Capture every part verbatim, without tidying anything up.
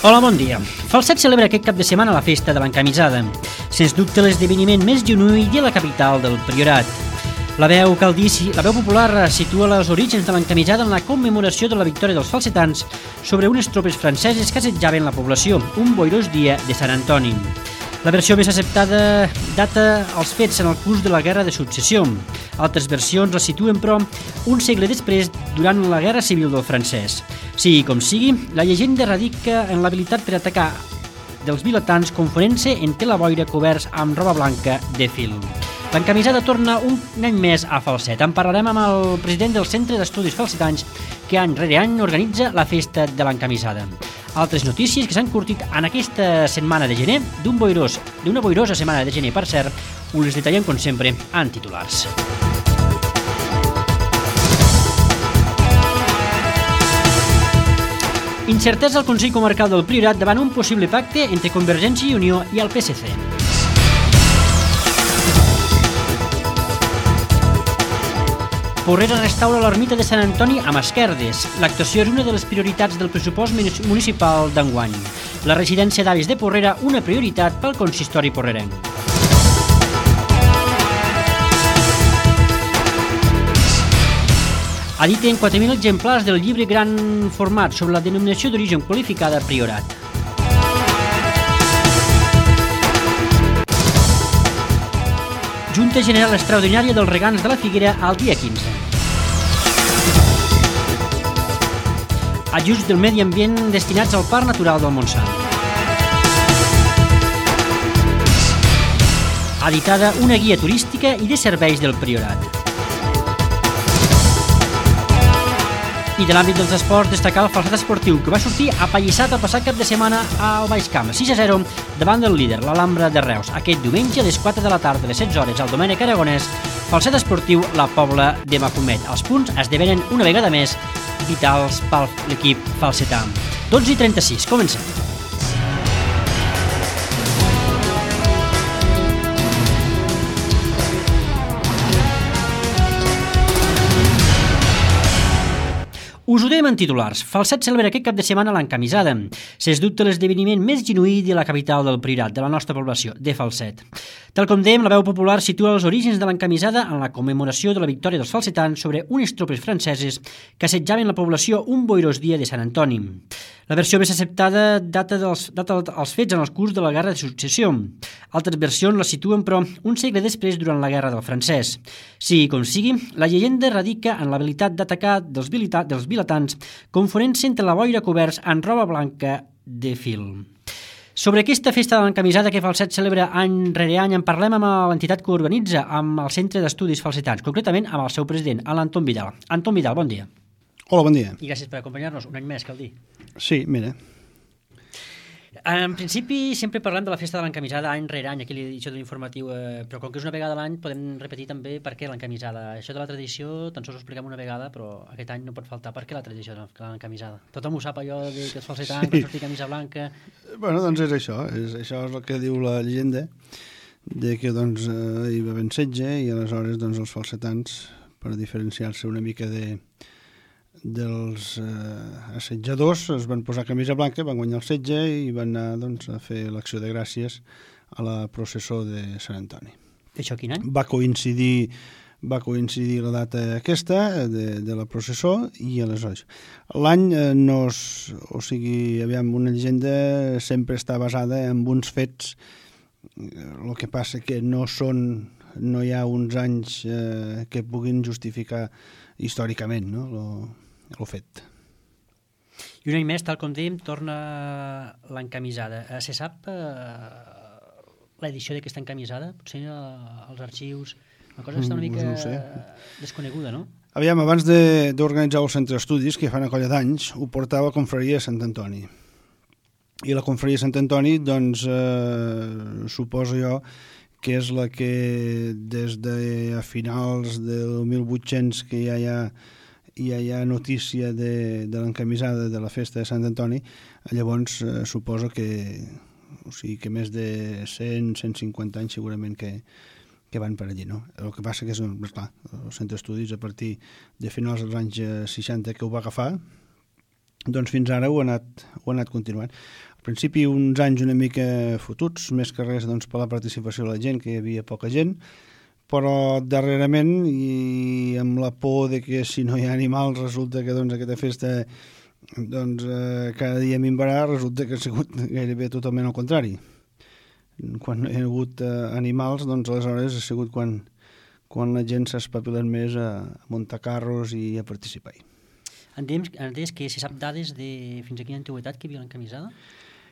Hola, bon dia. Falset celebra aquest cap de setmana la festa de l'encamisada. Sens dubte l'esdeveniment més genuí de la capital del Priorat. La veu caldici, la veu popular situa els orígens de l'encamisada en la commemoració de la victòria dels falsetans sobre unes tropes franceses que assetjaven la població, un boirós dia de Sant Antoni. La versió més acceptada data els fets en el curs de la Guerra de Successió. Altres versions la situen, però, un segle després, durant la Guerra Civil del francès. Sigui com sigui, la llegenda radica en l'habilitat per atacar dels vilatans confonent-se en tela boira coberts amb roba blanca de fil. L'encamisada torna un any més a Falset. En parlarem amb el president del Centre d'Estudis Falsetans, que any rere any organitza la festa de l'encamisada. Altres notícies que s'han curtit en aquesta setmana de gener, d'un boirós, d'una boirosa setmana de gener, per cert, us les detallem, com sempre, en titulars. Incertesa al Consell Comarcal del Priorat davant un possible pacte entre Convergència i Unió i el P S C. Porrera restaura l'ermita de Sant Antoni amb esquerdes. L'actuació és una de les prioritats del pressupost municipal d'enguany. La residència d'avis de Porrera, una prioritat pel consistori porrerenc. Editen quatre mil exemplars del llibre gran format sobre la denominació d'origen qualificada Priorat. Junta General Extraordinària dels Regants de la Figuera al dia quinze. Ajuts del medi ambient destinats al Parc Natural del Montsant. Editada una guia turística i de serveis del Priorat. I de l'àmbit dels esports, destacar el falset esportiu, que va sortir apallissat el passat cap de setmana al Baix Camp, sis a zero, davant del líder, l'Alhambra de Reus. Aquest diumenge, a les quatre de la tarda, a les setze hores, al Domènec Aragonès, falset esportiu, la Pobla de Mafumet. Els punts esdevenen una vegada més vitals per l'equip falsetà. dotze i trenta-sis, comencem. Us ho dèiem en titulars. Falset celebra aquest cap de setmana l'encamisada. Sens dubte l'esdeveniment més genuí de la capital del Priorat, de la nostra població, de Falset. Tal com dèiem, la veu popular situa els orígens de l'encamisada en la commemoració de la victòria dels falsetans sobre unes tropes franceses que assetjaven la població un boirós dia de Sant Antoni. La versió més acceptada data dels, data els fets en el curs de la Guerra de Successió. Altres versions la situen, però, un segle després durant la Guerra del francès. Sigui com sigui, la llegenda radica en l'habilitat d'atacar dels, dels vilatans confonent-se entre la boira coberts en roba blanca de fil. Sobre aquesta festa de l'encamisada que Falset celebra any rere any en parlem amb l'entitat que organitza, amb el Centre d'Estudis Falsetans, concretament amb el seu president, l'Anton Vidal. Anton Vidal, bon dia. Hola, bon dia. I gràcies per acompanyar-nos, un any més, cal dir. Sí, mira. En principi sempre parlem de la festa de l'encamisada any rere any, aquí l'edició de l'informatiu, eh, però com que és una vegada a l'any podem repetir també per què l'encamisada. Això de la tradició tan sols ho expliquem una vegada, però aquest any no pot faltar. Per què la tradició de l'encamisada? Tothom ho sap, allò de que els falsetans sí. Per sortir camisa blanca... Bueno, doncs és això, és, això és el que diu la llegenda, de que doncs, eh, hi va haver setge i aleshores doncs, els falsetans, per diferenciar-se una mica de... dels eh, assetjadors, es van posar camisa blanca, van guanyar el setge i van anar doncs, a fer l'acció de gràcies a la processó de Sant Antoni. Això quin any? Va coincidir, va coincidir la data aquesta de, de la processó i aleshores. L'any eh, no és, o sigui, aviam, una llegenda sempre està basada en uns fets, el que passa que no són, no hi ha uns anys eh, que puguin justificar històricament, no?, lo, el fet. I un any més, tal com dèiem, torna l'encamisada. Eh, se sap eh, l'edició d'aquesta encamisada? Potser eh, els arxius... Una cosa està una mica no sé. desconeguda, no? Aviam, abans d'organitzar el centre d'estudis, que fa una colla d'anys, ho portava a Confraria de Sant Antoni. I la Confraria de Sant Antoni, doncs, eh, suposo jo, que és la que des de a finals del mil vuit-cents que ja hi ha, ja hi ha notícia de, de l'encamisada de la festa de Sant Antoni, llavors eh, suposo que, o sigui, que més de cent a cent cinquanta anys segurament que, que van per allí, no? El que passa que és, clar, el centre d'estudis a partir de finals dels anys seixanta que ho va agafar, doncs fins ara ho ha anat, ho ha anat continuant. Al principi uns anys una mica fotuts, més que res doncs, per la participació de la gent, que hi havia poca gent, però darrerament, i amb la por de que si no hi ha animals resulta que doncs, aquesta festa doncs, eh, cada dia minvarà, resulta que ha sigut gairebé totalment al contrari. Quan no hi ha hagut eh, animals, doncs aleshores ha sigut quan, quan la gent s'ha espavilat més a, a muntar carros i a participar-hi. Entenem que se sap dades de fins a quina antiguitat que hi havia l'encamisada?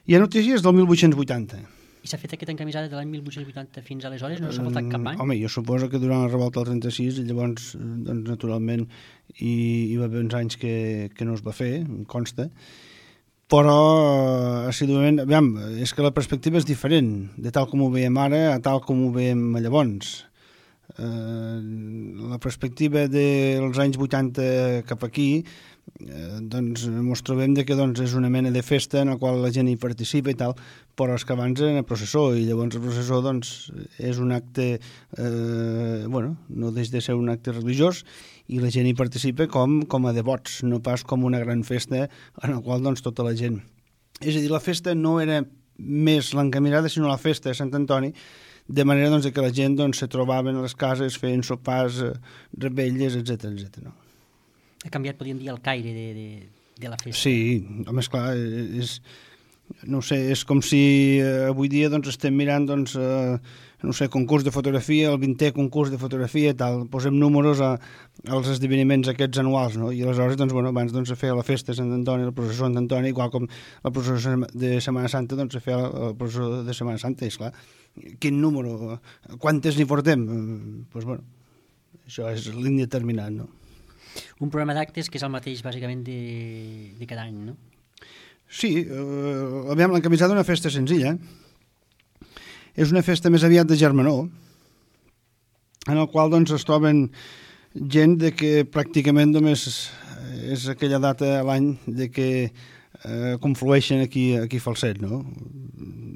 Hi ha notícies del mil vuit-cents vuitanta. I s'ha fet aquesta encamisada de l'any mil vuit-cents vuitanta fins aleshores? No s'ha faltat cap any? Home, jo suposo que durant la revolta del trenta-sis, llavors, doncs, naturalment, hi, hi va haver uns anys que, que no es va fer, em consta, però, assiduament, aviam, és que la perspectiva és diferent, de tal com ho veiem ara a tal com ho veiem llavors. Eh, la perspectiva dels anys vuitanta cap aquí, eh, doncs ens trobem de que doncs, és una mena de festa en la qual la gent hi participa i tal, però és que abans era processó, i llavors el processó doncs, és un acte, eh, bueno, no deixa de ser un acte religiós, i la gent hi participa com, com a devots, no pas com una gran festa en la qual doncs, tota la gent... És a dir, la festa no era més l'encaminada, sinó la festa de Sant Antoni, de manera doncs, que la gent doncs, se trobaven a les cases, feien sopars, eh, revetlles, etcètera etcètera. No? Ha canviat, podríem dir, el caire de, de, de la festa. Sí, home, esclar, és, no sé, és com si eh, avui dia doncs, estem mirant doncs, eh, no sé, concurs de fotografia, el vintè concurs de fotografia i tal, posem números a, als esdeveniments aquests anuals, no? I aleshores, doncs, bueno, abans doncs, se feia la festa de Sant Antoni, la processó de Sant Antoni, igual com la processó de Setmana Santa, doncs se feia la processó de Setmana Santa, i esclar, quin número, quantes n'hi portem? Doncs, pues, bueno, això és l'indeterminat, no? Un programa d'actes que és el mateix, bàsicament, de, de cada any, no? Sí, eh, aviam, l'encamisada una festa senzilla, és una festa més aviat de germanor, en el qual doncs, es troben gent de que pràcticament només és aquella data a l'any de que eh, conflueixen aquí, aquí Falset, no?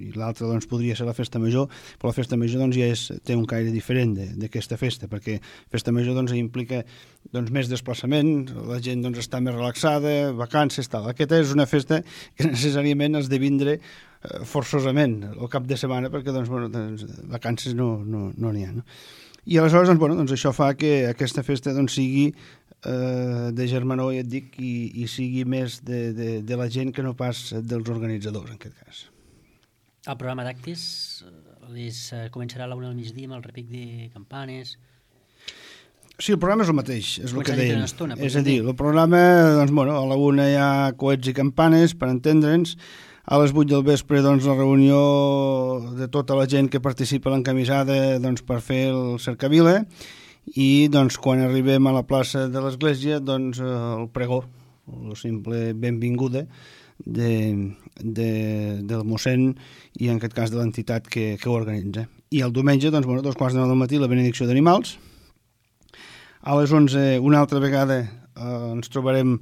I l'altra doncs, podria ser la festa major, però la festa major doncs, ja és, té un caire diferent d'aquesta festa, perquè festa major doncs, implica doncs, més desplaçament, la gent doncs, està més relaxada, vacances, tal. Aquesta és una festa que necessàriament has de vindre eh, forçosament al cap de setmana, perquè doncs, bueno, doncs, vacances no n'hi no, no ha. No? I aleshores doncs, bueno, doncs, això fa que aquesta festa doncs, sigui eh, de germanor, ja et dic, i, i sigui més de, de, de la gent que no pas dels organitzadors, en aquest cas. El programa d'actes les, uh, començarà a la una del migdia amb el repic de campanes. Sí, el programa és el mateix, és el que dèiem. Estona, és a dir, el programa, doncs, bueno, a la una hi ha coets i campanes, per entendre'ns, a les vuit del vespre, doncs, la reunió de tota la gent que participa a l'encamisada, doncs, per fer el cercavila, i, doncs, quan arribem a la plaça de l'església, doncs, el pregó, la simple benvinguda, De, de, del mossèn i en aquest cas de l'entitat que, que ho organitza. I el diumenge, doncs, bueno, dos quarts de nou del matí, la benedicció d'animals. A les onze, una altra vegada, eh, ens trobarem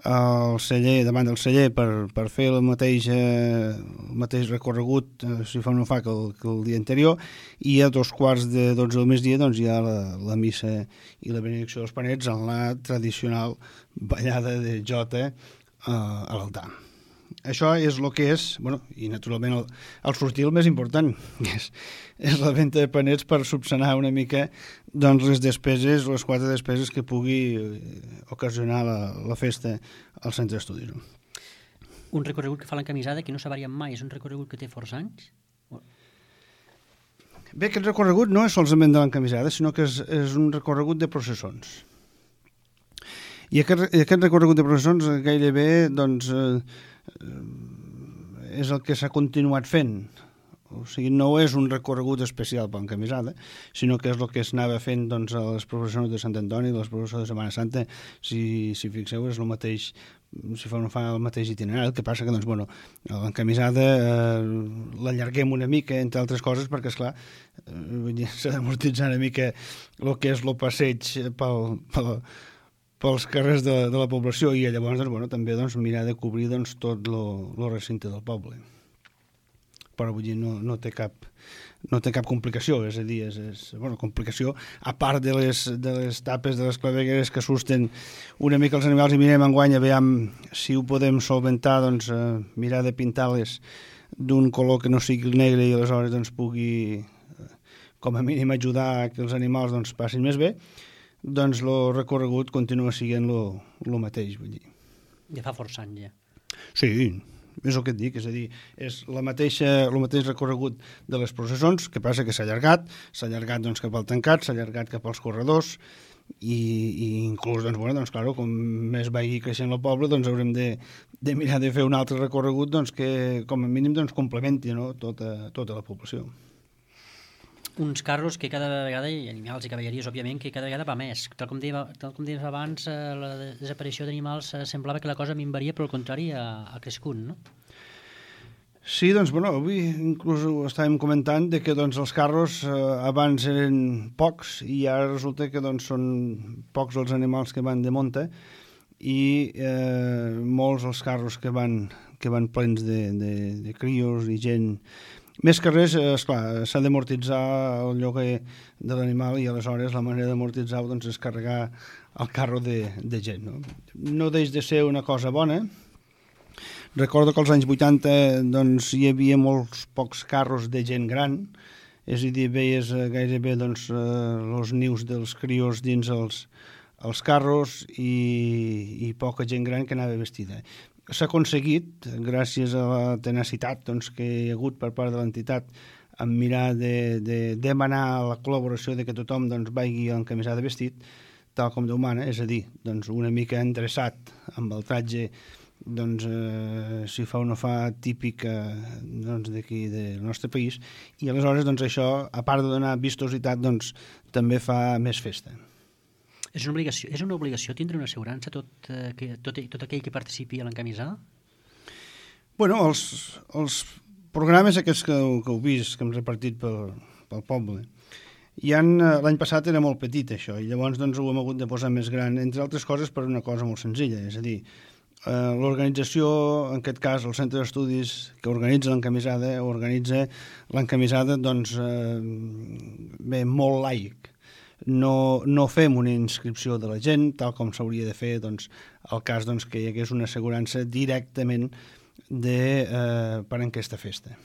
al celler, davant del celler, per, per fer el mateix, eh, el mateix recorregut, eh, si fa o no fa, que el, que el dia anterior, i a dos quarts de dotze del migdia doncs, hi ha la, la missa i la benedicció dels panets en la tradicional ballada de jota a l'altar. Això és el que és, bueno, i naturalment el, el sortir el més important, que és, és la venda de panets per subsanar una mica doncs, les despeses, les quatre despeses que pugui ocasionar la, la festa al centre d'estudis. Un recorregut que fa l'encamisada que no s'ha variat mai, és un recorregut que té força anys? Bé, aquest recorregut no és solament de l'encamisada, sinó que és, és un recorregut de processons. I aquest, aquest recorregut de processons gairebé doncs, eh, és el que s'ha continuat fent. O sigui, no és un recorregut especial per l'encamisada, sinó que és el que s'anava fent doncs, a les processons de Sant Antoni, a les processons de Setmana Santa. Si, si fixeu, és el mateix, si fa o no fa el mateix itinerari. El que passa que doncs, bueno, l'encamisada eh, l'allarguem una mica, entre altres coses, perquè, esclar, eh, s'ha d'amortitzar una mica el que és el passeig pel... pel pels carrers de, de la població i llavors doncs, bueno, també doncs, mirar de cobrir doncs, tot el recinte del poble. Però vull dir, no, no té cap no té cap complicació, és a dir, és, és bueno, complicació, a part de les, de les tapes de les clavegueres que asusten una mica els animals, i mirem enguany a veure si ho podem solventar, doncs eh, mirar de pintar-les d'un color que no sigui el negre i aleshores doncs pugui com a mínim ajudar a que els animals doncs passin més bé, doncs el recorregut continua sent el mateix, vull dir. Ja fa força anys, ja. Sí, és el que et dic, és a dir, és la mateixa, el mateix recorregut de les processons, que passa que s'ha allargat, s'ha allargat doncs, cap al tancat, s'ha allargat cap als corredors, i, i inclús, doncs, bueno, doncs, claro, com més vagi creixent el poble, doncs haurem de, de mirar de fer un altre recorregut doncs, que com a mínim doncs, complementi, no?, tota, tota la població. Uns carros que cada vegada, i animals i cavalleries, òbviament, que cada vegada va més. Tal com deia, tal com deies abans, eh, la desaparició d'animals eh, semblava que la cosa minvaria, però al contrari ha, ha crescut, no? Sí, doncs, bueno, avui inclús ho estàvem comentant de que doncs, els carros eh, abans eren pocs i ara resulta que doncs, són pocs els animals que van de monta i eh, molts els carros que van, que van plens de, de, de crios i gent. Més que res, esclar, s'ha d'amortitzar el lloguer de l'animal i aleshores la manera d'amortitzar doncs, és carregar el carro de, de gent. No? no deix de ser una cosa bona. Recordo que als anys vuitanta doncs, hi havia molts pocs carros de gent gran, és a dir, veies gairebé doncs, els nius dels crios dins els, els carros i, i poca gent gran que anava vestida. S'ha aconseguit, gràcies a la tenacitat doncs, que hi ha hagut per part de l'entitat, en mirar de, de demanar la col·laboració de que tothom doncs, vagi encamisat de vestit, tal com Déu mana, és a dir, doncs, una mica endreçat amb el tratge, doncs, eh, si fa o no fa, típic doncs, d'aquí del nostre país, i aleshores doncs, això, a part de donar vistositat, doncs, també fa més festa. És una obligació, és una obligació tindre una assegurança tot, eh, que, tot, tot aquell que participi a l'encamisada? Bueno, els, els programes aquests que, que heu vist, que hem repartit pel, pel poble, i l'any passat era molt petit això, i llavors doncs, ho hem hagut de posar més gran, entre altres coses per una cosa molt senzilla, és a dir, eh, l'organització, en aquest cas el centre d'estudis que organitza l'encamisada, organitza l'encamisada doncs, eh, bé, molt laic. No, no fem una inscripció de la gent, tal com s'hauria de fer doncs, el cas doncs, que hi hagués una assegurança directament de, eh, per a aquesta festa.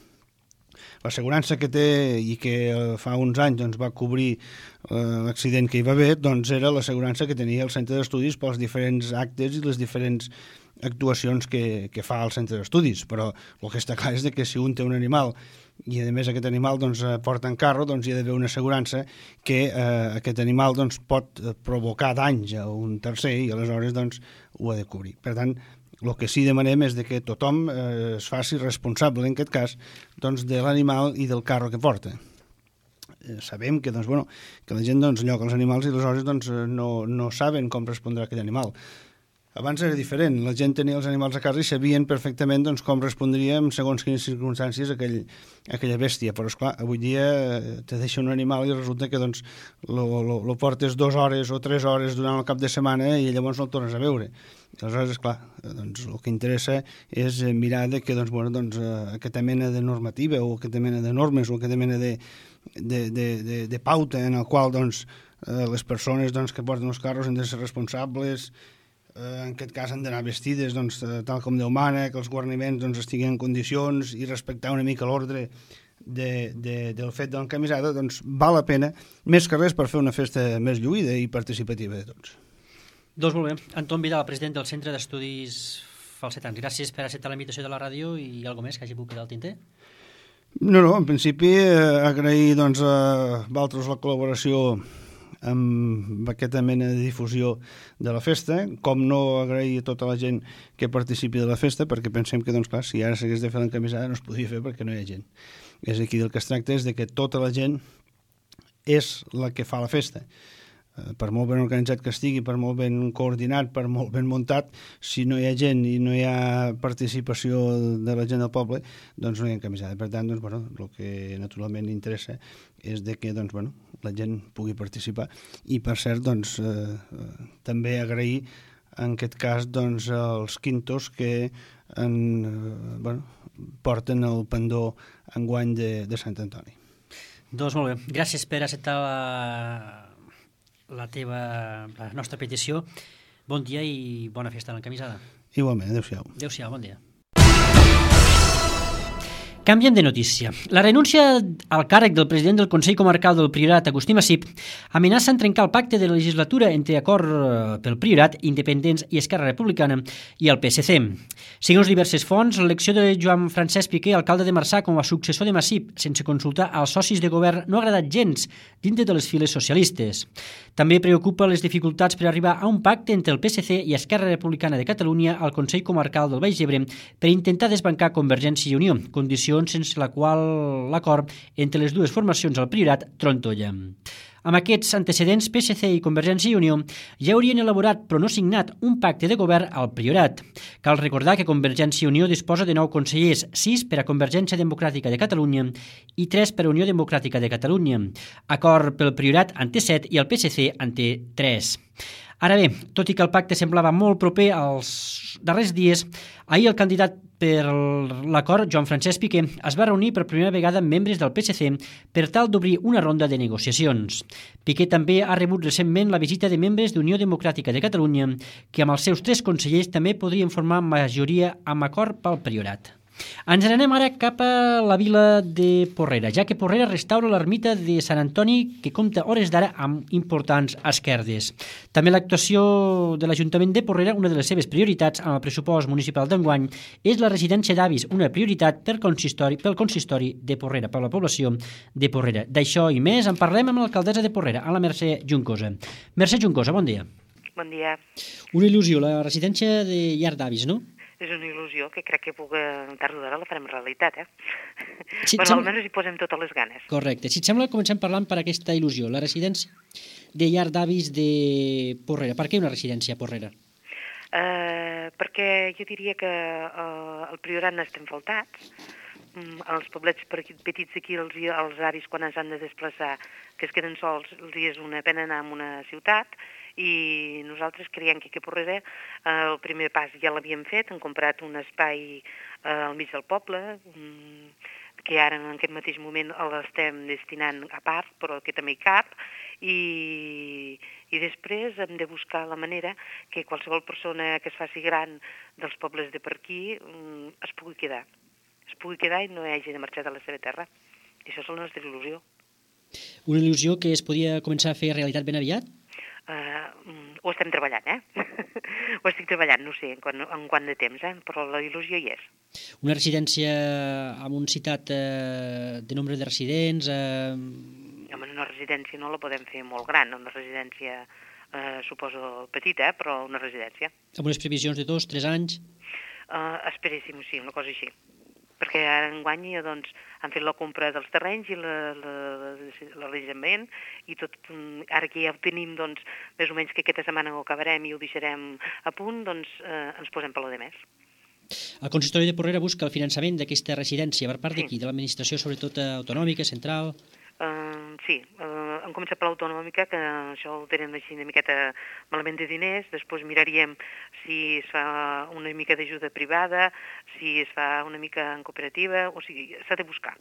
L'assegurança que té i que fa uns anys doncs, va cobrir eh, l'accident que hi va haver doncs, era l'assegurança que tenia el centre d'estudis pels diferents actes i les diferents actuacions que, que fa el centre d'estudis, però el que està clar és que si un té un animal i a més aquest animal doncs, porta en carro, doncs hi ha d'haver una assegurança que eh, aquest animal doncs, pot provocar danys a un tercer i aleshores doncs, ho ha de cobrir. Per tant, el que sí demanem és de que tothom eh, es faci responsable, en aquest cas, doncs, de l'animal i del carro que porta. Eh, sabem que, doncs, bueno, que la gent doncs, lloca els animals i aleshores doncs, no, no saben com respondrà aquell animal. Abans era diferent, la gent tenia els animals a casa i sabien perfectament doncs, com respondria en segons quines circumstàncies aquell, aquella bèstia, però esclar, avui dia te deixa un animal i resulta que doncs, lo, lo, lo portes dues hores o tres hores durant el cap de setmana i llavors no el tornes a veure. Aleshores, esclar, doncs, el que interessa és mirar de que doncs, bueno, doncs, aquesta mena de normativa o aquesta mena de normes o aquesta mena de, de, de, de, de pauta en el qual doncs, les persones doncs, que porten els carros han de ser responsables, en aquest cas han d'anar vestides doncs, tal com Déu mana, que els guarniments doncs, estiguin en condicions i respectar una mica l'ordre de, de, del fet de l'encamisada, doncs val la pena, més que res per fer una festa més lluïda i participativa de tots. Doncs molt bé. Anton Vidal, president del Centre d'Estudis Falsetans. Gràcies per acceptar la invitació de la ràdio i alguna més que hagi pogut quedar al tinter. No, no, en principi eh, agrair doncs, a Valtros la col·laboració amb aquesta mena de difusió de la festa, com no agrair a tota la gent que participi de la festa, perquè pensem que, doncs, clar, si ara s'hagués de fer l'encamisada no es podia fer perquè no hi ha gent. És aquí del que es tracta és de que tota la gent és la que fa la festa. Per molt ben organitzat que estigui, per molt ben coordinat, per molt ben muntat, si no hi ha gent i no hi ha participació de la gent del poble, doncs no hi ha encamisada. Per tant, doncs, bueno, el que naturalment interessa és de que doncs, bueno, la gent pugui participar. I, per cert, doncs, eh, també agrair, en aquest cas, doncs, els quintos que en, eh, bueno, porten el pendó enguany de, de Sant Antoni. Doncs molt bé. Gràcies per acceptar la, la teva, la nostra petició. Bon dia i bona festa a l'encamisada. Igualment, adéu-siau. Adéu-siau, bon dia. Canviem de notícia. La renúncia al càrrec del president del Consell Comarcal del Priorat, Agustí Massip, amenaça en trencar el pacte de la legislatura entre Acord pel Priorat, Independents i Esquerra Republicana i el P S C. Segons diverses fonts, l'elecció de Joan Francesc Piqué, alcalde de Marçà, com a successor de Massip, sense consultar als socis de govern, no ha agradat gens dintre de les files socialistes. També preocupa les dificultats per arribar a un pacte entre el P S C i Esquerra Republicana de Catalunya al Consell Comarcal del Baix Ebre per intentar desbancar Convergència i Unió, condició sense la qual l'acord entre les dues formacions al Priorat trontolla. Amb aquests antecedents, P S C i Convergència i Unió ja haurien elaborat, però no signat, un pacte de govern al Priorat. Cal recordar que Convergència i Unió disposa de nou consellers, sis per a Convergència Democràtica de Catalunya i tres per a Unió Democràtica de Catalunya. Acord pel Priorat en té set i el P S C en té tres. Ara bé, tot i que el pacte semblava molt proper als darrers dies, ahir el candidat per l'acord, Joan Francesc Piqué, es va reunir per primera vegada amb membres del P S C per tal d'obrir una ronda de negociacions. Piqué també ha rebut recentment la visita de membres d'Unió Democràtica de Catalunya, que amb els seus tres consellers també podrien formar majoria amb acord pel Priorat. Ens n'anem ara cap a la vila de Porrera, ja que Porrera restaura l'ermita de Sant Antoni, que compta hores d'ara amb importants esquerdes. També l'actuació de l'Ajuntament de Porrera, una de les seves prioritats amb el pressupost municipal d'enguany, és la residència d'avis, una prioritat pel consistori, pel consistori de Porrera, per la població de Porrera. D'això i més en parlem amb l'alcaldessa de Porrera, a la Mercè Juncosa. Mercè Juncosa, bon dia. Bon dia. Una il·lusió, la residència de llar d'avis, no? És una il·lusió que crec que puc, tard o d'hora la farem realitat, eh? Sí, bueno, sem... almenys hi posem totes les ganes. Correcte. Si et sembla, comencem parlant per aquesta il·lusió, la residència de llar d'avis de Porrera. Per què una residència a Porrera? Uh, perquè jo diria que uh, el Priorat n'estem faltats. Mm, els poblets petits aquí, els, els avis, quan ens han de desplaçar, que es queden sols, els és una pena anar a una ciutat, i nosaltres creiem que aquí a Porrera eh, el primer pas ja l'havíem fet, hem comprat un espai eh, al mig del poble, mm, que ara en aquest mateix moment l'estem destinant a part, però que també hi cap, i, i després hem de buscar la manera que qualsevol persona que es faci gran dels pobles de per aquí mm, es pugui quedar, es pugui quedar i no hagi de marxar de la seva terra. I això és la nostra il·lusió. Una il·lusió que es podia començar a fer realitat ben aviat? Uh, ho estem treballant, eh? Ho estic treballant, no sé en quant, en quant de temps, eh? Però la il·lusió hi és. Una residència amb un citat eh, de nombre de residents... Eh... Home, una residència no la podem fer molt gran, una residència eh, suposo petita, eh? Però una residència. Amb unes previsions de dos, tres anys? Uh, esperéssim, sí, una cosa així. Perquè ara enguany doncs, han fet la compra dels terrenys i l'alejament i tot, ara que ja ho tenim doncs, més o menys que aquesta setmana ho acabarem i ho deixarem a punt, doncs eh, ens posem per lo de més. El consistori de Porrera busca el finançament d'aquesta residència per part sí. de qui? De l'administració sobretot autonòmica, central? Uh, sí, uh, hem començat per l'autonòmica, que això ho tenen així una miqueta malament de diners, després miraríem si es fa una mica d'ajuda privada, si es fa una mica en cooperativa, o sigui, s'ha de buscar.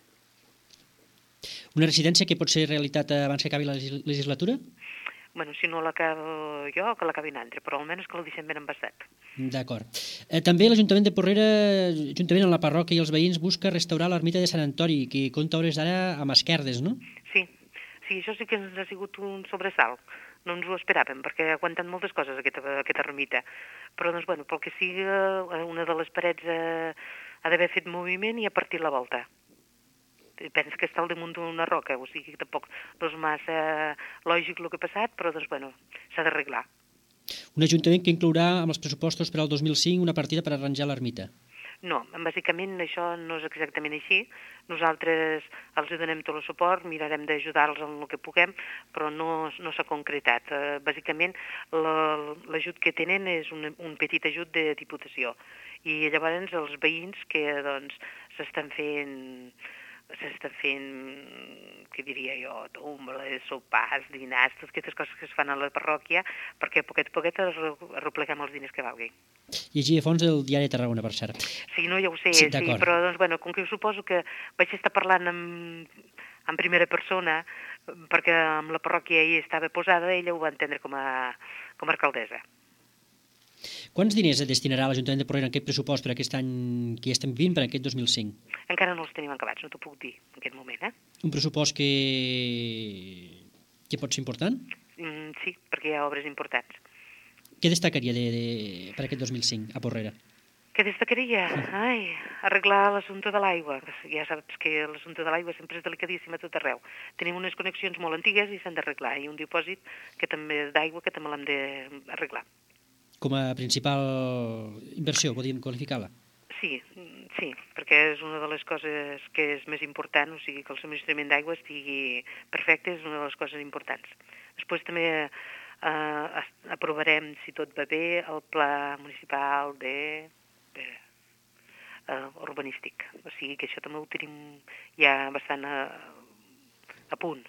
Una residència que pot ser realitat abans que acabi la legislatura? Bueno, si no l'acabo jo, que l'acabi un altre, però almenys que el deixem ben embastat. D'acord. Eh, també l'Ajuntament de Porrera, juntament amb la parròquia i els veïns, busca restaurar l'ermita de Sant Antoni, que compta hores d'ara amb esquerdes, no? Sí, sí, això sí que ens ha sigut un sobresalt. No ens ho esperàvem, perquè ha aguantat moltes coses aquesta, aquesta ermita. Però, doncs, bueno, pel que sigui, una de les parets eh, ha d'haver fet moviment i ha partit la volta. Penso que està al damunt d'una roca, o sigui que tampoc no és massa lògic el que ha passat, però doncs, bueno, s'ha d'arreglar. Un ajuntament que inclourà amb els pressupostos per al dos mil cinc una partida per arranjar l'ermita. No, bàsicament això no és exactament així. Nosaltres els donem tot el suport, mirarem d'ajudar-los en el que puguem, però no, no s'ha concretat. Uh, bàsicament l'ajut que tenen és un, un petit ajut de diputació. I llavors els veïns que doncs s'estan fent... s'està fent, què diria jo, tombles, sopars, dinars, totes aquestes coses que es fan a la parròquia, perquè a poquet a poquet arrepleguem els diners que valgui. Llegia a fons el diari de Tarragona, per cert. Sí, no, ja ho sé, sí, sí, però doncs, bueno, com que suposo que vaig estar parlant amb, en primera persona, perquè amb la parròquia hi estava posada, ella ho va entendre com a, com a alcaldessa. Quants diners destinarà l'Ajuntament de Porrera en aquest pressupost per aquest any que ja estem vivint, per aquest dos mil cinc? Encara no els tenim acabats, no t'ho puc dir en aquest moment, eh? Un pressupost que, que pot ser important? Mm, sí, perquè hi ha obres importants. Què destacaria de, de, per aquest dos mil cinc a Porrera? Què destacaria? Ai, arreglar l'assumpte de l'aigua. Ja saps que l'assumpte de l'aigua sempre és delicadíssim a tot arreu. Tenim unes connexions molt antigues i s'han d'arreglar, i un dipòsit que també és d'aigua que també l'hem d'arreglar. Com a principal inversió, podríem qualificar-la? Sí, sí, perquè és una de les coses que és més important, o sigui, que el subministrament d'aigua estigui perfecte, és una de les coses importants. Després també eh, aprovarem, si tot va bé, el pla municipal de, de uh, urbanístic. O sigui que això també ho tenim ja bastant a, a punt.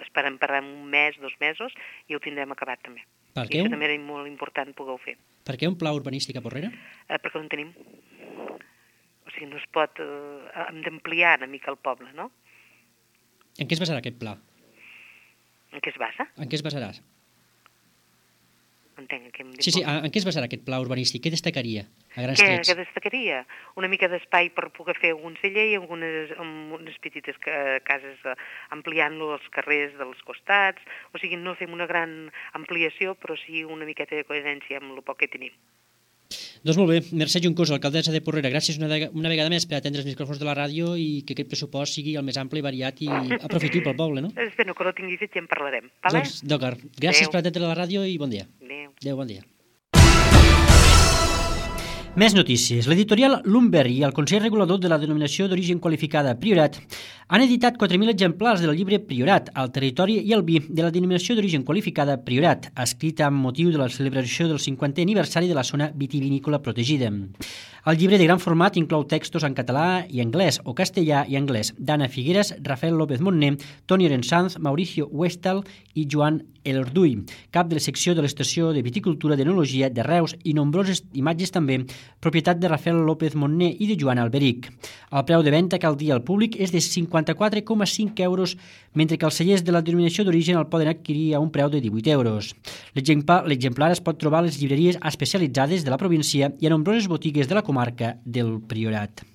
Esperem per un mes, dos mesos, i ho tindrem acabat també. Per I què? això també era molt important poder-ho fer. Per què un pla urbanístic a Porrera? Eh, perquè no en tenim. O sigui, no es pot... Eh, hem d'ampliar una mica el poble, no? En què es basarà aquest pla? En què es basa? En què es basarà? Entenc que em dic... Sí, sí, en què es basarà aquest pla urbanístic? Què destacaria a grans Què, trets? què destacaria? Una mica d'espai per poder fer algun celler i algunes, amb unes petites ca- cases, eh, ampliant-lo els carrers dels costats. O sigui, no fem una gran ampliació, però sí una miqueta de coherència amb el poc que tenim. Doncs molt bé, Mercè Juncosa, alcaldessa de Porrera, gràcies una, vega, una vegada més per atendre els micròfons de la ràdio i que aquest pressupost sigui el més ampli, variat i aprofitiu pel poble, no? Espero que no tingui fet i en parlarem. Vale? Doncs, d'acord. Gràcies Adéu. per atendre la ràdio i bon dia. Adéu. Adéu, bon dia. Més notícies. L'editorial Lumber i el Consell Regulador de la Denominació d'Origen Qualificada Priorat han editat quatre mil exemplars del llibre Priorat, el territori i el vi de la Denominació d'Origen Qualificada Priorat, escrit amb motiu de la celebració del cinquantè aniversari de la zona vitivinícola protegida. El llibre de gran format inclou textos en català i anglès o castellà i anglès d'Anna Figueres, Rafael López Montner, Toni Orensanz, Mauricio Westal i Joan Elorduy, cap de la secció de l'Estació de Viticultura d'Enologia de Reus i nombroses imatges també, propietat de Rafael López Montner i de Joan Alberic. El preu de venda que al dia al públic és de cinquanta-quatre coma cinc euros, mentre que els cellers de la denominació d'origen el poden adquirir a un preu de divuit euros. L'exemplar es pot trobar a les llibreries especialitzades de la província i a nombroses botigues de la comarca del Priorat.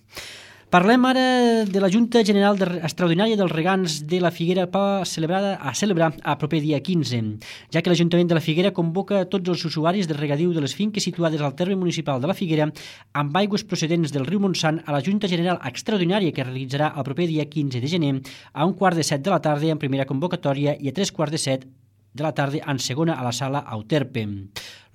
Parlem ara de la Junta General Extraordinària dels Regants de la Figuera celebrada a celebrar a proper dia quinze, ja que l'Ajuntament de la Figuera convoca tots els usuaris de regadiu de les finques situades al terme municipal de la Figuera amb aigües procedents del riu Montsant a la Junta General Extraordinària que realitzarà el proper dia quinze de gener a un quart de set de la tarda en primera convocatòria i a tres quarts de set de la tarda en segona a la sala Auterpe.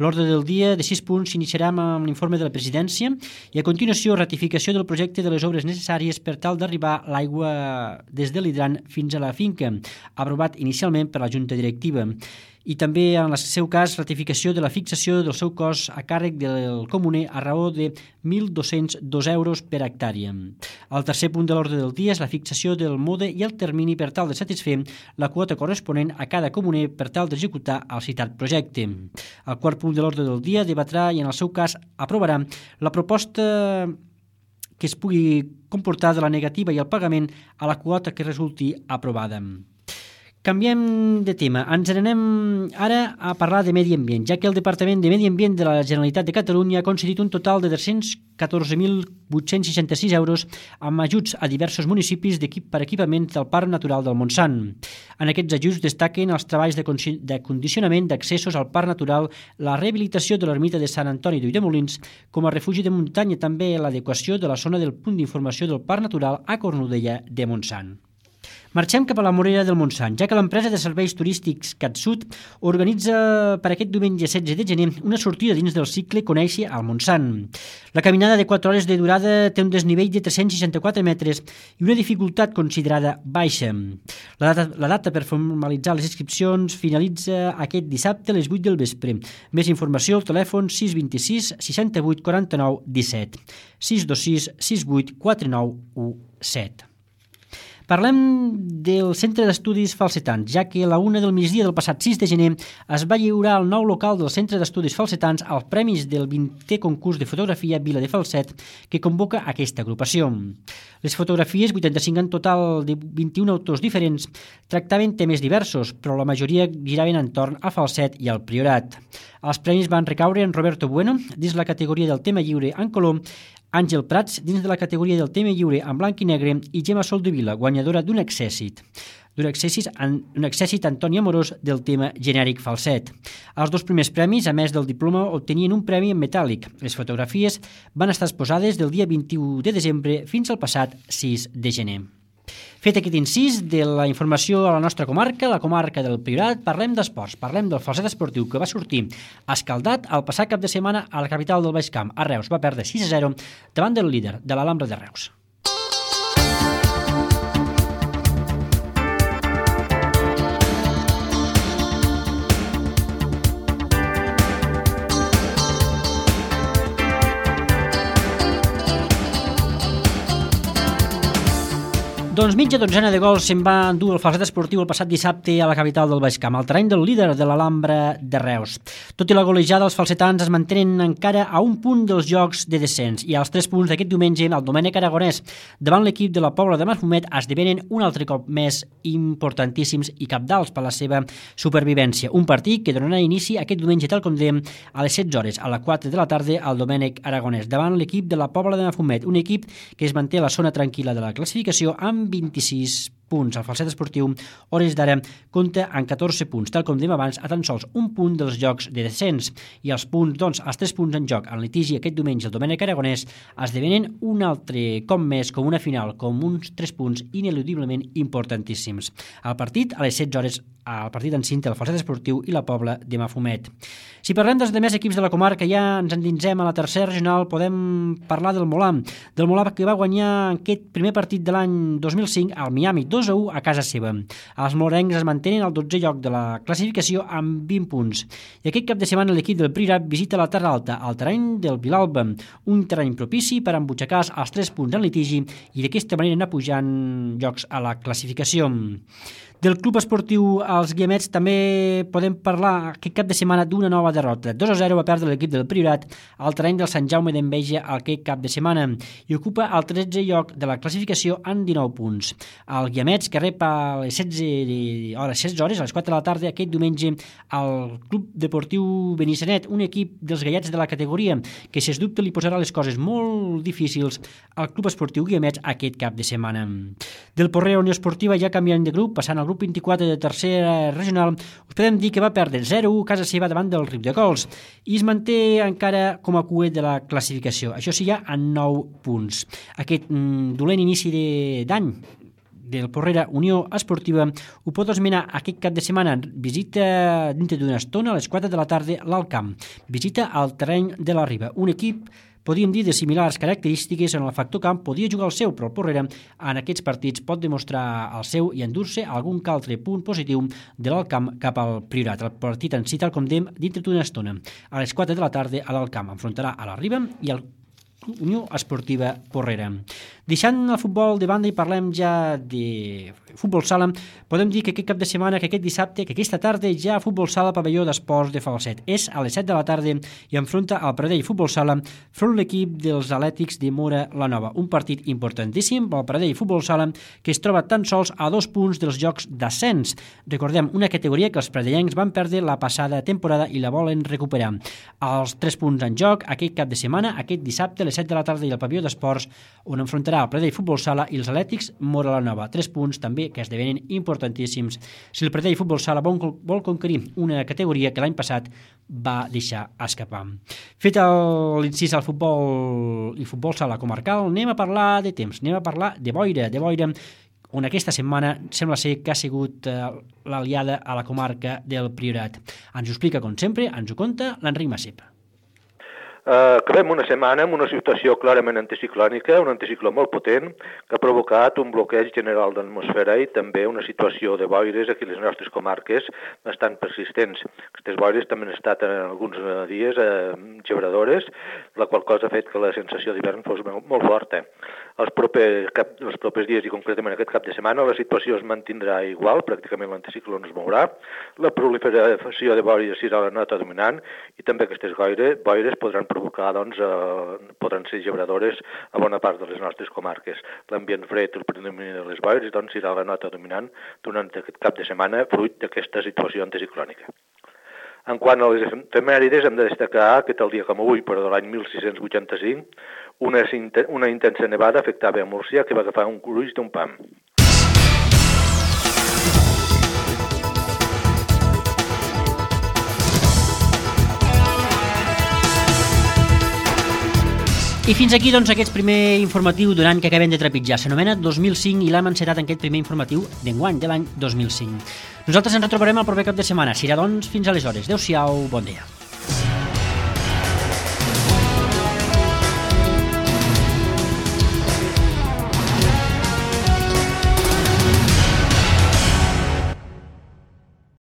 L'ordre del dia de sis punts s'iniciarà amb l'informe de la presidència i a continuació ratificació del projecte de les obres necessàries per tal d'arribar l'aigua des de l'hidrant fins a la finca, aprovat inicialment per la Junta Directiva. I també, en el seu cas, ratificació de la fixació del seu cost a càrrec del comuner a raó de mil dos-cents dos euros per hectàrea. El tercer punt de l'ordre del dia és la fixació del mode i el termini per tal de satisfer la quota corresponent a cada comuner per tal d'executar el citat projecte. El quart punt de l'ordre del dia debatrà i, en el seu cas, aprovarà la proposta que es pugui comportar de la negativa i el pagament a la quota que resulti aprovada. Canviem de tema. Ens n'anem ara a parlar de medi ambient, ja que el Departament de Medi Ambient de la Generalitat de Catalunya ha concedit un total de tres-cents catorze mil vuit-cents seixanta-sis euros amb ajuts a diversos municipis d'equip per equipaments del Parc Natural del Montsant. En aquests ajuts destaquen els treballs de, de condicionament d'accessos al Parc Natural, la rehabilitació de l'ermita de Sant Antoni d'Ulldemolins com a refugi de muntanya, també l'adequació de la zona del punt d'informació del Parc Natural a Cornudella de Montsant. Marxem cap a la Morera del Montsant, ja que l'empresa de serveis turístics CatSud organitza per aquest diumenge setze de gener una sortida dins del cicle Conèixer al Montsant. La caminada de quatre hores de durada té un desnivell de tres-cents seixanta-quatre metres i una dificultat considerada baixa. La data, la data per formalitzar les inscripcions finalitza aquest dissabte a les vuit del vespre. Més informació al telèfon sis dos sis seixanta-vuit quaranta-nou disset, sis dos sis sis vuit quatre nou u set. Parlem del Centre d'Estudis Falsetans, ja que a la una del migdia del passat sis de gener es va lliurar al nou local del Centre d'Estudis Falsetans els premis del vintè concurs de fotografia Vila de Falset que convoca aquesta agrupació. Les fotografies, vuitanta-cinc en total de vint-i-un autors diferents, tractaven temes diversos, però la majoria giraven entorn a Falset i al Priorat. Els premis van recaure en Roberto Bueno, dins la categoria del tema lliure en color, Àngel Prats, dins de la categoria del tema lliure en blanc i negre, i Gemma Soldevila, guanyadora d'un accèssit. D'un accèssit, un accèssit Antoni Amorós del tema genèric Falset. Els dos primers premis, a més del diploma, obtenien un premi en metàl·lic. Les fotografies van estar exposades del dia vint-i-u de desembre fins al passat sis de gener. Fet aquest incís de la informació a la nostra comarca, la comarca del Priorat, parlem d'esports, parlem del falset esportiu que va sortir escaldat el passat cap de setmana a la capital del Baix Camp, a Reus. Va perdre sis a zero davant del líder de l'Alhambra de Reus. Doncs mitja dotzena de gols se'n va endur el falset esportiu el passat dissabte a la capital del Baix Camp, al terreny del líder de l'Alhambra de Reus. Tot i la golejada, els falsetans es mantenen encara a un punt dels jocs de descens i als tres punts d'aquest diumenge el Domènec Aragonès davant l'equip de la Pobla de Mafumet esdevenen un altre cop més importantíssims i cabdals per la seva supervivència. Un partit que donarà inici aquest diumenge tal com dèiem a les setze hores, a les quatre de la tarda al Domènec Aragonès davant l'equip de la Pobla de Mafumet, un equip que es manté a la zona tranquil·la de la classificació amb vint-i-sis punts. El falset esportiu, hores d'ara, compta amb catorze punts, tal com dèiem abans, a tan sols un punt dels jocs de descens. I els punts, doncs, els tres punts en joc en litigi aquest diumenge el Domènec Aragonès esdevenen un altre cop més com una final, com uns tres punts ineludiblement importantíssims. El partit, a les setze hores, el partit en cinta, el falset esportiu i la Pobla de Mafumet. Si parlem dels demés equips de la comarca, ja ens endinsem a la tercera regional, podem parlar del Molà, del Molà que va guanyar aquest primer partit de l'any dos mil cinc al Miami, dos a u a casa seva. Els molencs es mantenen al dotzè lloc de la classificació amb vint punts. I aquest cap de setmana l'equip del Priorat visita la Terra Alta, al terreny del Vilalba, un terreny propici per embutxacar els tres punts en litigi i d'aquesta manera anar pujant llocs a la classificació. Del club esportiu als Guiamets també podem parlar aquest cap de setmana d'una nova derrota. dos a zero va perdre l'equip del Priorat al terreny del Sant Jaume d'Enveja aquest cap de setmana i ocupa el tretzè lloc de la classificació amb dinou punts. El Guiamets, que rep a les setze hores, setze hores, a les quatre de la tarda, aquest diumenge al Club Deportiu Benissanet, un equip dels gallets de la categoria que, si es dubte, li posarà les coses molt difícils al Club Esportiu Guiamets aquest cap de setmana. Del Porrera Unió Esportiva, ja canviant de grup, passant al grup vint-i-quatre de tercera regional, us podem dir que va perdre zero a u a casa seva davant del Riudecols i es manté encara com a cuet de la classificació. Això sí, ja en nou punts. Aquest mm, dolent inici d'any del Porrera Unió Esportiva ho pot esmenar aquest cap de setmana. Visita dintre d'una estona a les quatre de la tarda l'Alt Camp. Visita al terreny de la Riba. Un equip, podríem dir, de similars característiques en el factor camp, podia jugar el seu, però el Porrera en aquests partits pot demostrar el seu i endur-se algun altre punt positiu de l'Alt Camp cap al Priorat. El partit en si, tal com dèiem, dintre d'una estona a les quatre de la tarda a l'Alt Camp enfrontarà a la Riba i el Unió Esportiva Porrera. Deixant el futbol de banda i parlem ja de futbol sala, podem dir que aquest cap de setmana, que aquest dissabte, que aquesta tarda ja futbol sala pavelló d'esports de Falset. És a les set de la tarda i enfronta al Pradell Futbol Sala front l'equip dels Atlètics de Móra la Nova. Un partit importantíssim pel Pradell Futbol Sala que es troba tan sols a dos punts dels jocs d'ascens. Recordem, una categoria que els pradellencs van perdre la passada temporada i la volen recuperar. Els tres punts en joc aquest cap de setmana, aquest dissabte a les set de la tarda i al pavelló d'esports, on enfrontarà el Pradell Futbol Sala i els Atlètics Móra la Nova. Tres punts també que esdevenen importantíssims si el Pradell Futbol Sala vol, vol conquerir una categoria que l'any passat va deixar escapar. Fet l'incís al futbol i futbol sala comarcal, anem a parlar de temps, anem a parlar de boira, de boira on aquesta setmana sembla ser que ha sigut eh, l'aliada a la comarca del Priorat. Ens ho explica, com sempre, ens ho conta l'Enric Massip. Eh, acabem una setmana amb una situació clarament anticiclònica, un anticicló molt potent, que ha provocat un bloqueig general de l'atmosfera i també una situació de boires aquí a les nostres comarques bastant persistents. Aquestes boires també han estat en alguns dies eh, gebradores, la qual cosa ha fet que la sensació d'hivern fos molt forta. Els propers, cap, els propers dies i concretament aquest cap de setmana la situació es mantindrà igual, pràcticament l'anticicló no es mourà, la proliferació de boires serà la nota dominant i també aquestes boires, boires podran provocar, doncs, eh, podran ser gebradores a bona part de les nostres comarques. L'ambient fred, el predomini de les boires, doncs, serà la nota dominant durant aquest cap de setmana, fruit d'aquesta situació anticiclònica. En quant a les efemèrides, hem de destacar que tal dia com avui, però de l'any mil sis-cents vuitanta-cinc, una, una intensa nevada afectava a Múrcia que va agafar un gruix d'un pam. I fins aquí, doncs, aquest primer informatiu durant que acabem de trepitjar. S'anomena dos mil cinc i l'hem encetat en aquest primer informatiu d'enguany, de l'any dos mil cinc. Nosaltres ens retrobarem el proper cap de setmana. Serà, doncs, fins aleshores. Adéu-siau, bon dia.